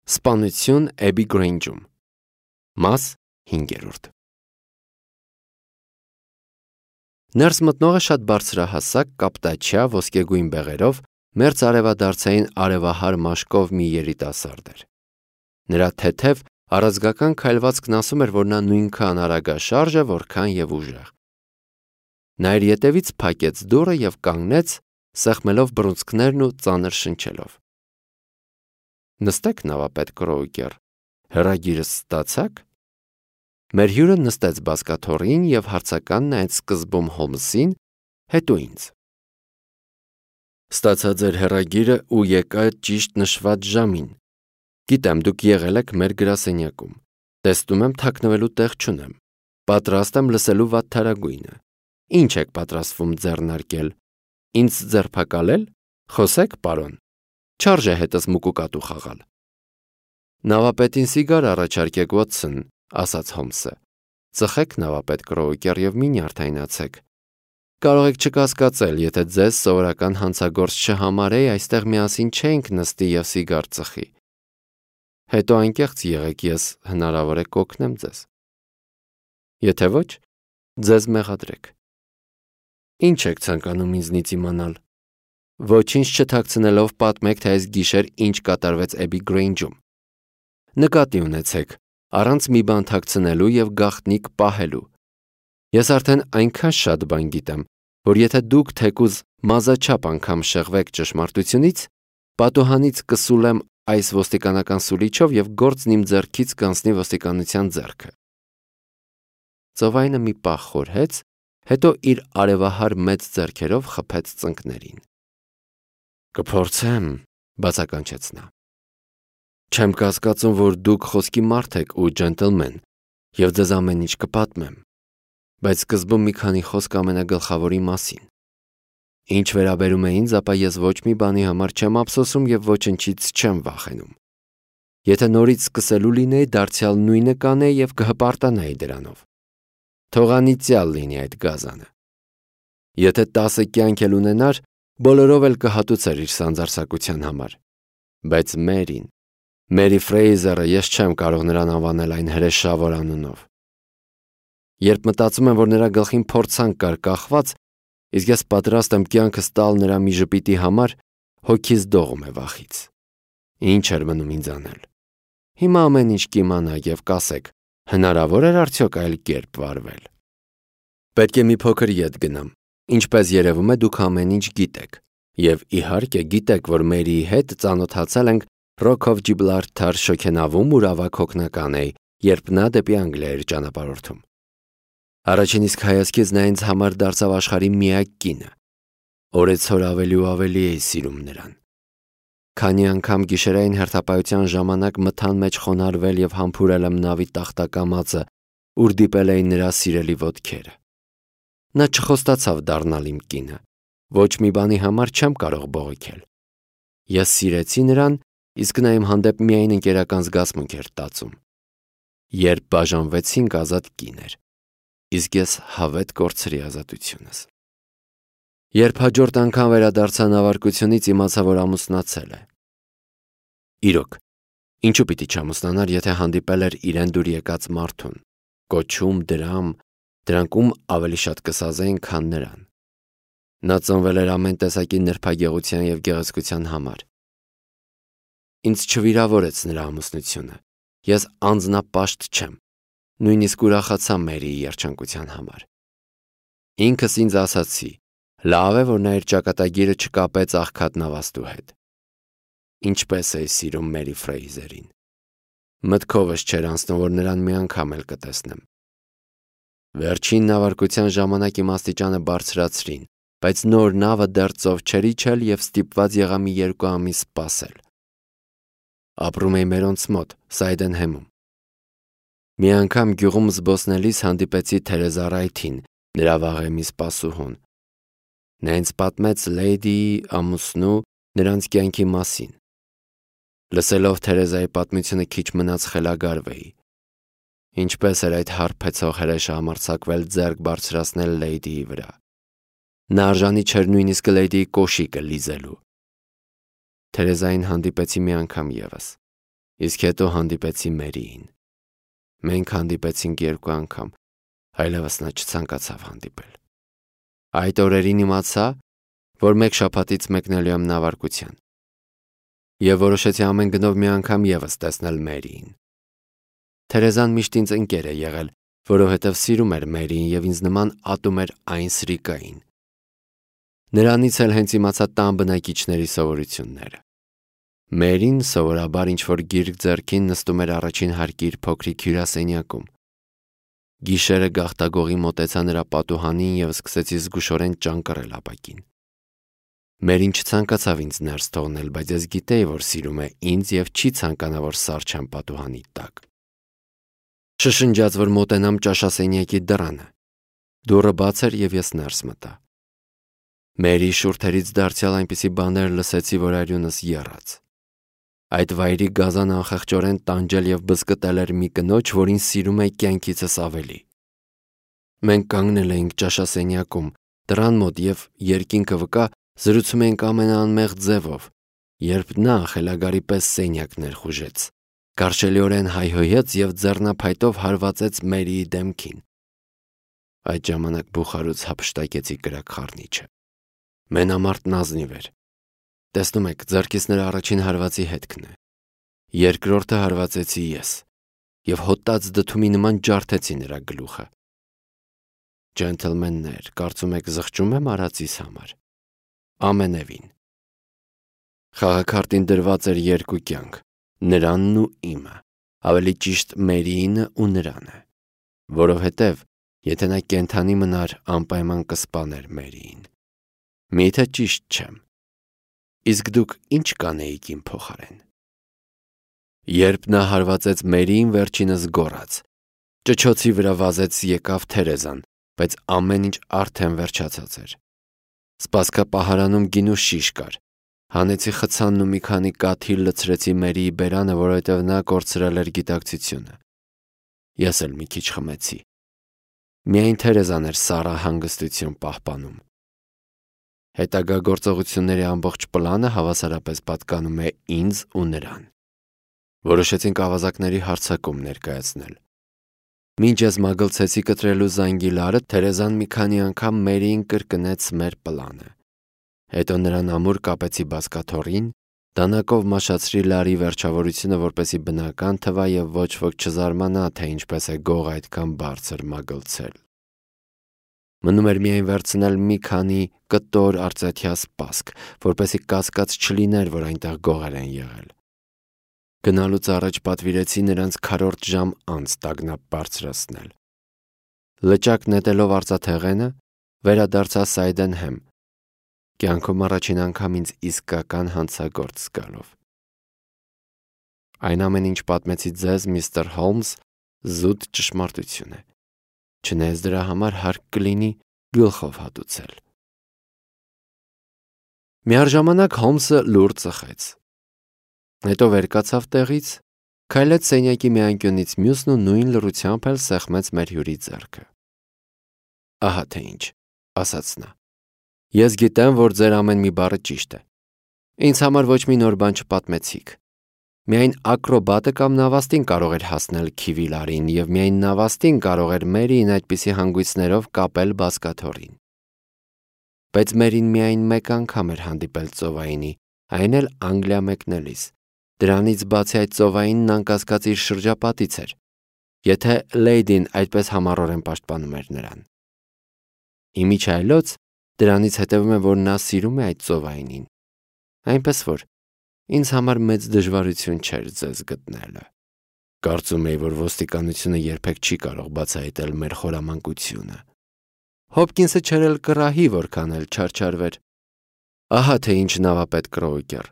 Սպանություն Էբի Գրեյնջում։ Մաս 5. Ներս մտնողը շատ բարձրահասակ, կապտաչյա, ոսկեգույն բեղերով, մերձ արևադարձային արևահար մաշկով մի երիտասարդ էր։ Նրա թեթև, առազգական քայլվածքն ասում էր, որ նա նույնքան արագաշարժ է, որքան և ուժեղ։ Նա իր ետևից փակեց դուռը և կանգնեց, սեղմելով բռունցքներն ու ծանր շնչելով։ Նստեք, նավապետ Կրոուկեր, հեռագիրս ստացա՞ք։ Մեր հյուրը նստեց բազկաթոռին և հարցական նայեց սկզբում Հոլմսին, հետո ինձ։ Ստացա ձեր հեռագիրը ու եկա ճիշտ նշված ժամին։ Գիտեմ, դուք եղել եք մեր գրասենյակում։ Տեսնում եմ, թաքնվելու տեղ չունեմ։ Պատրաստ եմ լսելու վատթարագույնը։ Ինչ եք պատրաստվում ձեռնարկել։ Ինձ ձերբակալել։ Խոսեք, պարոն։ Չարժե հետս մուկուկատու խաղալ։ Նավապետին սիգար առաջարկեք, Վոթսոն, ասաց Հոլմսը։ Ծխեք, նավապետ Կրոուկեր, և մի նյարդայնացեք։ Կարող եք չկասկածել, եթե ձեզ սովորական հանցագործ չհամարեի, այստեղ միասին չէինք նստի և սիգար ծխի։ Հետո անկեղծ եղեք, ես հնարավոր է կօգնեմ ձեզ։ Եթե ոչ, ձեզ մեղադրեք։ Ինչ եք ցանկանում ինձնից իմանալ։ Ոչինչ չթաքցնելով պատմեք, թե այս գիշեր ինչ կատարվեց Էբի Գրեյնջում։ Նկատի ունեցեք, առանց մի բան թաքցնելու և գաղտնիք պահելու։ Ես արդեն այնքան շատ բան գիտեմ, որ եթե դուք թեկուզ մազաչափ անգամ շեղվեք ճշմարտությունից, պատուհանից կսուլեմ այս ոստիկանական սուլիչով և գործն իմ ձեռքից կանցնի ոստիկանության ձեռքը։ Ծովայնը մի պահ խորհեց, հետո իր արևահար մեծ ձեռքերով խփեց ծնկներին։ Կփորձեմ, բացականչեց նա։ Չեմ կասկածում, որ դուք խոսքի մարդ եք ու ջենտլմեն, և ձեզ ամեն ինչ կպատմեմ, բայց սկզբում մի քանի խոսք ամենագլխավորի մասին։ Ինչ վերաբերում է ինձ, ապա ես ոչ մի բանի համար չեմ ափսոսում և ոչնչից չեմ վախենում։ Եթե նորից սկսելու լինեի, դարձյալ նույնը կանեի և կհպարտանայի դրանով։ Թող անիծյալ լինի այդ գազանը։ Եթե 10 կյանք էլ ունենար, բոլորով էլ կհատուցեր իր սանձարձակության համար։ Բայց Մերի Ֆրեյզերը, ես չեմ կարող նրան անվանել այն հրեշավոր անունով։ Երբ մտածում եմ, որ նրա գլխին փորձանք կար կախված, իսկ ես պատրաստ եմ կյանքս տալ նրա մի ժպիտի համար, հոգիս դողում է վախից։ Ինչ էր մնում ինձ անել։ Հիմա ամեն ինչ կիմանա և կասեք, հնարավոր էր արդյոք այլ կերպ վարվել։ Պետք է մի փոքր ետ գնամ։ Ինչպես երևում է, դուք ամեն ինչ գիտեք, և իհարկե գիտեք, որ Մերիի հետ ծանոթացել ենք Rock of Gibraltar շոգենավում ու ավագ հոգնական էի, երբ նա դեպի Անգլիա էր ճանապարհորդում։ Առաջին իսկ հայացքից նա ինձ համար դարձավ աշխարհի միակ կինը։ Օրեցօր ավելի ու ավելի էի սիրում նրան։ Քանի անգամ գիշերային հերթապահության ժամանակ մթան մեջ խոնարհվել և համբուրել եմ նավի տախտակամածը, ուր դիպել էին նրա սիրելի ոտքերը։ Նա չխոստացավ դառնալ իմ կինը։ Ոչ մի բանի համար չեմ կարող բողոքել։ Ես սիրեցի նրան, իսկ նա իմ հանդեպ միայն ընկերական զգացմունք էր տածում։ Երբ բաժանվեցինք, ազատ կին էր, իսկ ես հավետ կորցրի ազատությունս։ Երբ հաջորդ անգամ վերադարձա նավարկությունից, իմացա, որ ամուսնացել է։ Իրոք, ինչու պիտի չամուսնանար, եթե հանդիպել էր իրեն դուր եկած մարդուն, կոչում, դրանք ում ավելի շատ կսազեին, քան նրան։ Նա ծնվել էր ամեն տեսակի նրբագեղության և գեղեցկության համար։ Ինձ չվիրավորեց նրա ամուսնությունը։ Ես անձնապաշտ չեմ, նույնիսկ ուրախացա Մերիի երջանկության համար։ Ինքս ինձ ասացի, լավ է, որ նա իր ճակատագիրը չկապեց աղքատ նավաստու հետ։ Ինչպես էի սիրում Մերի Ֆրեյզերին։ Մտքովս չէր անցնում, որ նրան մի անգամ էլ կտեսնեմ։ Վերջին նավարկության ժամանակ իմ աստիճանը բարձրացրին, բայց նոր նավը դեռ ծով չէր իջել և ստիպված եղա մի 2 ամիս սպասել։ Ապրում էի մերոնց մոտ, Սայդենհեմում։ Մի անգամ գյուղում զբոսնելիս հանդիպեցի Թերեզա Ռայթին, նրա վաղեմի սպասուհուն։ Նա ինձ պատմեց Լեյդիի ամուսնու նրանց կյանքի մասին։ Լսելով Թերեզայի պատմությունը քիչ մնաց խելագարվեի։ Ինչպես էր այդ հարբեցող հրեշը համարձակվել ձեռք բարձրացնել Լեյդիի վրա։ Նա արժանի չէր նույնիսկ Լեյդիի կոշիկը լիզելու։ Թերեզային հանդիպեցի մի անգամ ևս։ Իսկ հետո հանդիպեցի Մերիին։ Մենք հանդիպեցինք 2 անգամ, այլևս նա չցանկացավ հանդիպել։ Այդ օրերին իմացա, որ 1 շաբաթից մեկնելու եմ նավարկության, եւ որոշեցի ամեն գնով մի անգամ եւս տեսնել Մերիին։ Թերեզան միշտ ինձ ընկեր է եղել, որովհետև սիրում էր Մերիին եւ ինձ նման ատում էր այն սրիկային։ Նրանից էլ հենց իմացա տան բնակիչների սովորությունները։ Մերին սովորաբար ինչ-որ գիրք ձեռքին նստում էր առաջին հարկի իր փոքրիկ հյուրասենյակում։ Գիշերը գաղտագողի մոտեցա նրա պատուհանին եւ սկսեցի զգուշորեն ճանկռել ապակին։ Մերին չցանկացավ ինձ ներս թողնել, բայց ես գիտեի, որ սիրում է ինձ եւ չի ցանկանա, որ սառչեմ պատուհանի տակ։ Շշնջաց, որ մոտենամ ճաշասենյակի դռանը։ Դուռը բաց էր եւ ես ներս մտա։ Մերի շուրթերից դարձյալ այնպիսի բաներ լսեցի, որ արյունս եռաց։ Այդ վայրի գազան անխեղճորեն տանջել եւ բզկտել էր մի կնոջ, որին սիրում էի կյանքիցս ավելի։ Մենք կանգնել էինք ճաշասենյակում, դռան մոտ եւ երկինքը վկա զրուցում էինք ամենաանմեղ ձևով, երբ նա խելագարի պես սենյակն ներխուժեց, կարճելիորեն հայհոյեց եւ ձեռնափայտով հարվածեց Մերիի դեմքին։ Այդ ժամանակ բուխարուց հափշտակեցի կրակ խառնիչը։ Մենամարտն ազնիվ էր։ Տեսնում եք, ձեռքից նրա առաջին հարվածի հետքն է։ Երկրորդը հարվածեցի ես եւ հոտած դդումի նման ջարդեցի նրա գլուխը։ Ջենթլմեններ, կարծում եք զղջում եմ արածիս համար։ Ամենևին։ Խաղաքարտին դրված էր 2 կյանք, նրանն ու իմը, ավելի ճիշտ Մերիինը ու նրանը, որովհետև եթե նա կենդանի մնար, անպայման կսպաներ Մերիին։ Միթե ճիշտ չեմ։ Իսկ դուք ինչ կանեիք իմ փոխարեն։ Երբ նա հարվածեց Մերիին, վերջինս գոռաց։ Ճչոցի վրա վազեց եկավ Թերեզան, բայց ամեն ինչ արդեն վերջացած էր։ Սպասքապահարանում գինու շիշ կար։ Հանեցի խցանն ու մի քանի կաթիլ լցրեցի Մերիի բերանը, որովհետև նա կորցրել էր գիտակցությունը։ Ես էլ մի քիչ խմեցի։ Միայն Թերեզան էր սառը հանգստություն պահպանում։ Հետագա գործողությունների ամբողջ պլանը հավասարապես պատկանում է ինձ ու նրան։ Որոշեցինք ավազակների հարձակում ներկայացնել։ Մինչ ես մագլցեցի կտրելու զանգիլարը, Թերեզան մի քանի անգամ Մերիին կրկնեց մեր պլանը։ Հետո նրան ամուր կապեցի բազկաթոռին, դանակով մաշացրի լարի վերջավորությունը, որպեսզի բնական թվա եւ ոչ ոք չզարմանա, թե ինչպես է գող այդքան բարձր մագլցել։ Մնում էր միայն վերցնել մի քանի կտոր արծաթյա սպասք, որպեսզի կասկած չլիներ, որ այնտեղ գողեր են եղել։ Գնալուց առաջ պատվիրեցի նրանց քառորդ ժամ անց տագնապ բարձրացնել։ Լճակ նետելով արծաթեղենը, վերադարձա Սայդենհեմ, կյանքում առաջին անգամ ինձ իսկական հանցագործ զգալով։ Այն ամեն ինչ պատմեցի ձեզ, միստր Հոլմս, զուտ ճշմարտություն է։ Չնայած դրա համար հարկ կլինի գլխով հատուցել։ Միառժամանակ Հոլմսը լուր ծխեց։ Հետո վեր կացավ տեղից, քայլեց սենյակի մի անկյունից մյուսն ու նույն լռությամբ էլ սեղմեց մեր հյուրի ձեռքը։ Ահա թե ինչ, ասաց նա։ Ես գիտեմ, որ ձեր ամեն մի բառը ճիշտ է։ Ինձ համար ոչ մի նոր բան չպատմեցիք։ Միայն ակրոբատը կամ նավաստին կարող էր հասնել Քիվիլարին եւ միայն նավաստին կարող էր Մերիին այդպիսի հանգույցներով կապել բազկաթոռին։ Բայց Մերին միայն 1 անգամ էր հանդիպել ծովայինի, այն էլ Անգլիա մեկնելիս։ Դրանից բացի այդ ծովայինն անկասկած իր շրջապատից էր, եթե Լեյդին այդպես համառորեն պաշտպանում էր նրան։ Իմիջայլոց դրանից հետևում է, որ նա սիրում է այդ ծովայինին, այնպես որ ինձ համար մեծ դժվարություն չէր ձեզ գտնելը։ Կարծում էի, որ ոստիկանությունը երբեք չի կարող բացահայտել մեր խորամանկությունը։ Հոփկինսը չէր էլ կռահի, որքան էլ չարչարվեր։ Ահա թե ինչ նավապետ Կրոուկեր։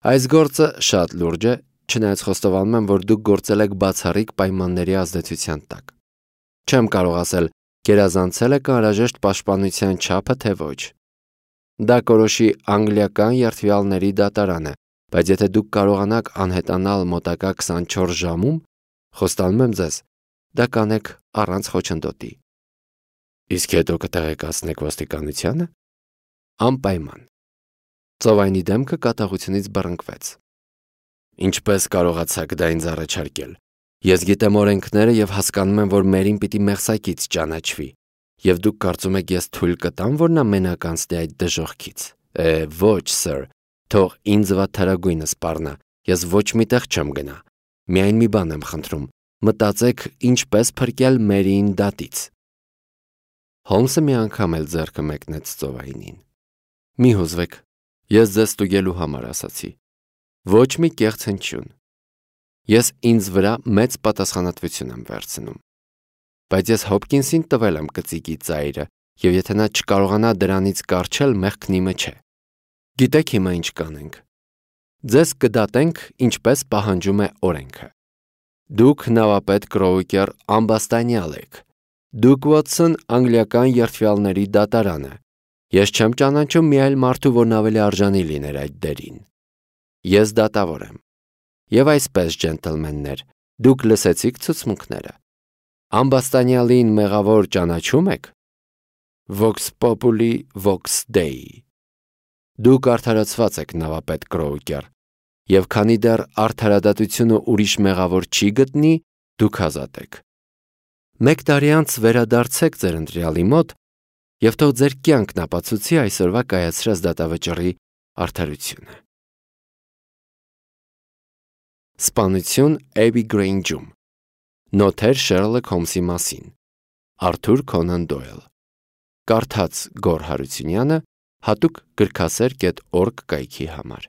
Այս գործը շատ լուրջ է, չնայած խոստովանում եմ, որ դուք գործել եք բացառիկ պայմանների ազդեցության տակ։ Չեմ կարող ասել, գերազանցել եք անհրաժեշտ պաշտպանության չափը, թե ոչ։ Դա կորոշի անգլիական երթվյալների դատարանը, բայց եթե դուք կարողանաք անհետանալ մոտակա 24 ժամում, խոստանում եմ ձեզ, դա կանեք առանց խոչընդոտի։ Իսկ հետո կտեղեկացնեք ոստիկանությանը։ Անպայման։ Ծովայինի դեմքը կատաղությունից բռնկվեց։ Ինչպես կարողացաք դա ինձ առաջարկել։ Ես գիտեմ օրենքները եւ հասկանում եմ, որ Մերին պիտի մեղսակից ճանաչվի։ Եվ դուք կարծում եք ես թույլ կտամ, որ նա մենակ անցնի այդ դժոխքից։ Ոչ, սըր, թող ինձ վատթարագույնը սպառնա, ես ոչ միտեղ չեմ գնա։ Միայն մի բան եմ խնդրում, մտածեք ինչպես փրկել Մերիին դատից։ Հոլմսը մի անգամ էլ ձեռքը մեկնեց ծովայինին։ Մի հուզվեք, ես ձեզ ստուգելու համար ասացի։ Ոչ մի կեղծ հնչյուն։ Ես ինձ վրա մեծ պատասխանատվություն եմ վերցնում։ Բայց ես Հոփկինսին տվել եմ կծիկի ծայրը, եւ եթե նա չկարողանա դրանից կառչել, մեղքն իմը չէ։ Գիտեք հիմա ինչ կանենք։ Ձեզ կդատենք, ինչպես պահանջում է օրենքը։ Դուք նավապետ Կրոուկեր ամբաստանյալ եք։ Դուք Վոթսոն անգլիական երդվյալների դատարանը։ Ես չեմ ճանաչում մի այլ մարդու, որն ավելի արժանի լիներ այդ դերին։ Ես դատավոր եմ։ Եվ այսպես, ջենտլմեններ, դուք լսեցիք ցուցմունքները։ Ամբաստանյալին մեղավոր ճանաչում եք։ Vox populi, vox Dei։ Դուք արդարացված եք, նավապետ Կրոուկեր, եւ քանի դեռ արդարադատությունը ուրիշ մեղավոր չի գտնի, դուք ազատ եք։ 1 տարի անց վերադարձեք ձեր ընտրյալի մոտ եւ թող ձեր կյանքն ապացուցի այսօրվա կայացրած դատավճռի արդարությունը։ Սպանություն Էբի Գրեյնջում։ Նոթեր Շերլոք Հոլմսի մասին։ Արթուր Քոնան Դոյլ։ Կարդաց Գոր Հարությունյանը հատուկ գրքասեր.org կայքի համար։